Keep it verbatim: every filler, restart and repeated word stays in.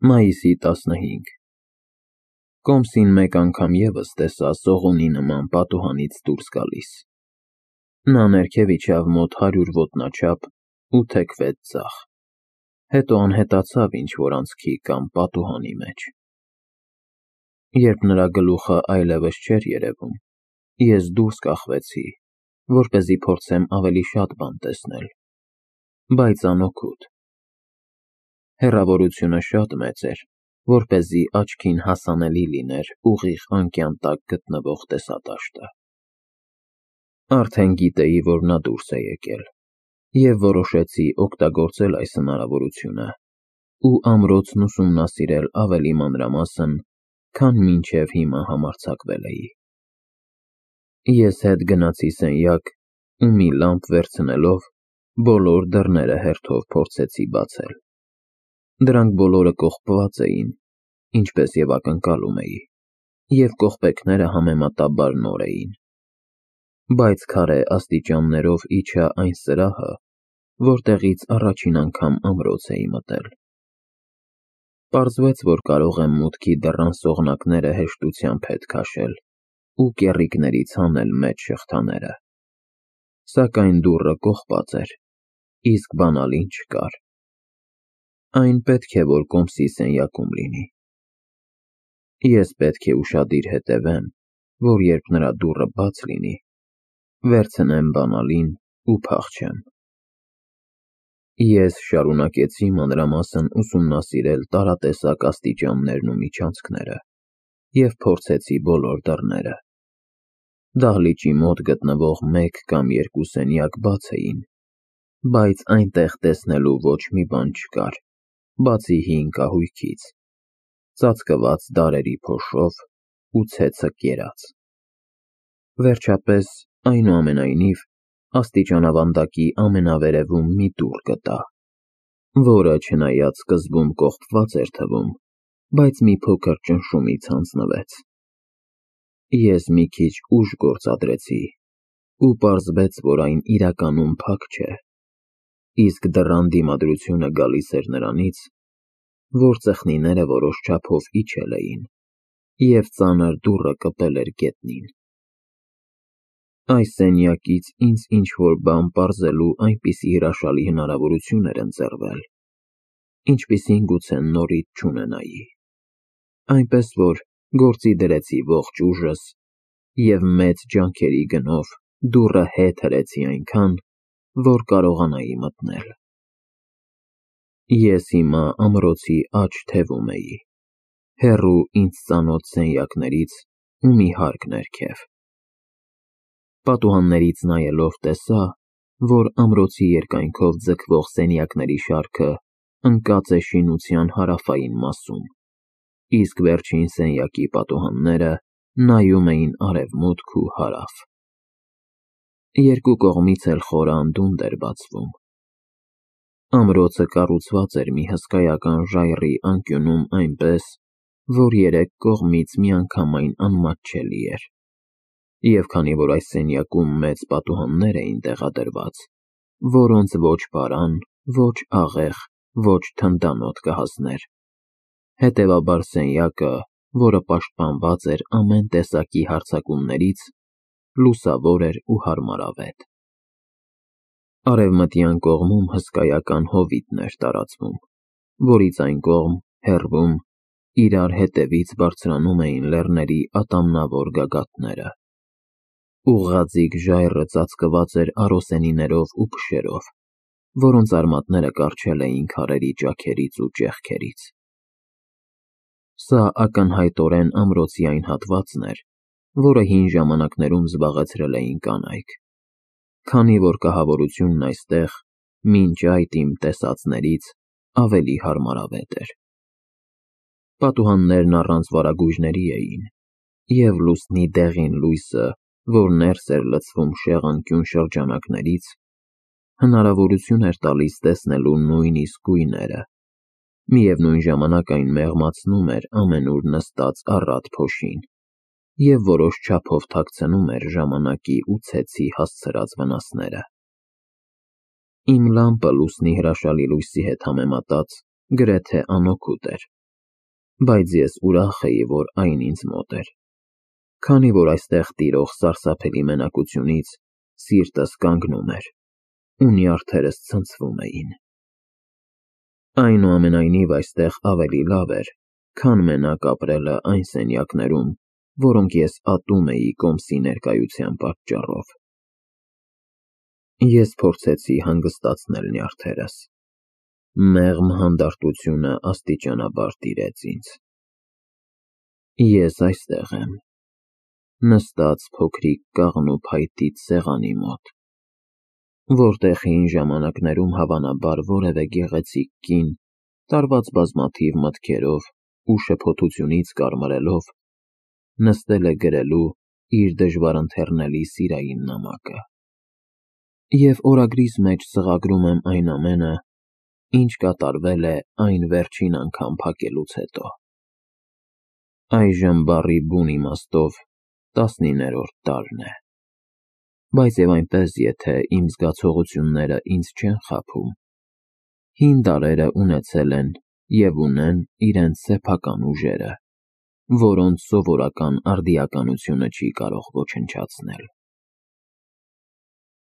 Մայիսի տասնհինգ Կոմսին մեկ անգամ ևս տեսա սողունի նման պատուհանից դուրս գալիս։ Նա ներքև իջավ մոտ հարյուր ոտնաչափ ու թեքվեց ձախ, հետո անհետացավ ինչ-որ անցքի կամ պատուհանի մեջ։ Երբ նրա գլուխը այլևս չէր երևում, ես դուրս կախվեցի, որպեսզի փորձեմ ավելի շատ բան տեսնել, բայց անօգուտ։ Հեռավորությունը շատ մեծ էր, որպեսզի աչքին հասանելի լիներ ուղիղ անկյան տակ գտնվող տեսադաշտը։ Արդեն գիտեի, որ նա դուրս է եկել, և որոշեցի օգտագործել այս հնարավորությունը ու ամրոցն ուսումնասիրել ավելի մանրամասն, քան մինչև հիմա համարձակվել էի։ Ես հետ գնացի սենյակ ու մի լամպ վերցնելով, բոլոր դռները հերթով փորձեցի բացել։ Դրանք բոլորը կողպված էին, ինչպես և ակնկալում էի, և կողպեքները համեմատաբար նոր էին, բայց քարե աստիճաններով իջա այն սրահը, որտեղից առաջին անգամ ամրոց էի մտել։ Պարզվեց, որ կարող եմ մուտքի դռան սողնակները հեշտությամբ հետ քաշել ու կեռիկներից հանել մեջ շղթաները, սակայն դուռը կողպած էր, իսկ բանալին չկար։ Այն պետք է որ Կոմսի սենյակում լինի։ Ես պետք է ուշադիր հետևեմ, որ երբ նրա դուռը բաց լինի, վերցնեմ բանալին ու փախչեմ։ Ես շարունակեցի մանրամասն ուսումնասիրել տարատեսակ աստիճաններն ու միջանցքները և փորձեցի բոլոր դռները։ Դահլիճի մոտ գտնվող մեկ կամ երկու սենյակ բաց էին, բայց այնտեղ տեսնելու ոչ մի բան չկար, բացի հին կահույքից, ծածկված դարերի փոշով ու ցեցը կերած։ Վերջապես, այնուամենայնիվ, աստիճանավանդակի ամենավերևում մի դուռ գտա, որը, չնայած սկզբում կողպված էր թվում, բայց մի փոքր ճնշումից հանձնվեց։ Ես մի քիչ ուժ գործադրեցի ու պարզվեց, որ այն իրականում փակ չէ, իսկ դռան դիմադրությունը գալիս էր նրանից, որ ծխնիները որոշ չափով իջել էին, և ծանր դուռը կպել էր գետնին։ Այս սենյակից ինձ ինչ-որ բան պարզելու այնպիսի հրաշալի հնարավորություն էր ընձեռվել, ինչպիսին գուցե նորից չունենայի, այնպես որ գործի դրեցի ողջ ուժս և մեծ ջանքերի գնով դուռը հետ հրեցի այնքան, որ կարողանայի մտնել։ Ես հիմա ամրոցի աջ թևում էի, հեռու ինձ ծանոթ սենյակներից ու մի հարկ ներքև։ Պատուհաններից նայելով տեսա, որ ամրոցի երկայնքով ձգվող սենյակների շարքը ընկած է շինության հարավային մասում, իսկ վերջին սենյակի պատուհանները նայում էին արևմուտք ու հարավ։ Երկու կողմից էլ խոր անդունդ էր բացվում։ Ամրոցը կառուցված էր մի հսկայական ժայռի անկյունում այնպես, որ երեք կողմից միանգամայն անմատչելի էր, և քանի որ այս սենյակում մեծ պատուհաններ էին տեղադրված, որոնց ոչ պարան, ոչ աղեղ, ոչ թնդանոթ կհասներ, հետևաբար սենյակը, որը պաշտպանված էր ամեն տեսակի հարձակումներից, լուսավոր էր ու հարմարավետ։ Արևմտյան կողմում հսկայական հովիտն էր տարածվում, որից այն կողմ, հեռվում, իրար հետևից բարձրանում էին լեռների ատամնավոր գագաթները։ Ուղղաձիգ ժայռը ծածկված էր արոսենիներով ու փշերով, որոնց արմատները կառչել էին քարերի ճաքերից ու ճեղքերից։ Սա ակնհայտորեն ամրոցի այն հատվածն էր, որը հին ժամանակներում զբաղեցրել էին կանայք, քանի որ կահավորությունն այստեղ, մինչ այդ իմ տեսածներից, ավելի հարմարավետ էր։ Պատուհաններն առանց վարագույրների էին, և լուսնի դեղին լույսը, որ ներս էր լցվում շեղանկյուն շրջանակներից, հնարավորություն էր տալիս տեսնելու նույնիսկ գույները, միևնույն ժամանակ այն մեղմացնում էր ամենուր նստած առատ փոշին և որոշ չափով թաքցնում էր ժամանակի ու ցեցի հասցրած վնասները։ Իմ լամպը լուսնի հրաշալի լույսի հետ համեմատած գրեթե անօգուտ էր, բայց ես ուրախ էի, որ այն ինձ մոտ էր, քանի որ այստեղ տիրող սարսափելի մենակությունից սիրտս կանգնում էր, ու նյարդերս ցնցվում էին։ Այնուամենայնիվ այստեղ ավելի լավ էր, քան մենակ ապրելը այն սենյակներում, որոնք ես ատում էի կոմսի ներկայության պատճառով։ Ես փորձեցի հանգստացնել նյարդերս։ Մեղմ հանդարտությունը աստիճանաբար տիրեց ինձ։ Ես այստեղ եմ, նստած փոքրիկ կաղնու փայտից սեղանի մոտ, որտեղ հին ժամանակներում հավանաբար որևէ գեղեցիկ կին, տարված բազմաթիվ մտքերով ու շփոթությունից կարմրելով, նստել է գրելու իր դժվարընթեռնելի սիրային նամակը, և օրագրիս մեջ սղագրում եմ այն ամենը, ինչ կատարվել է այն վերջին անգամ փակելուց հետո։ Այժմ բառի բուն իմաստով տասնիններորդ տարին է, բայց և այնպես, եթե իմ զգացողությունները ինձ չեն խաբում, հին դարերը ունեցել են և ունեն իրենց սեփական ուժերը, որոնց սովորական արդիականությունը չի կարող ոչնչացնել։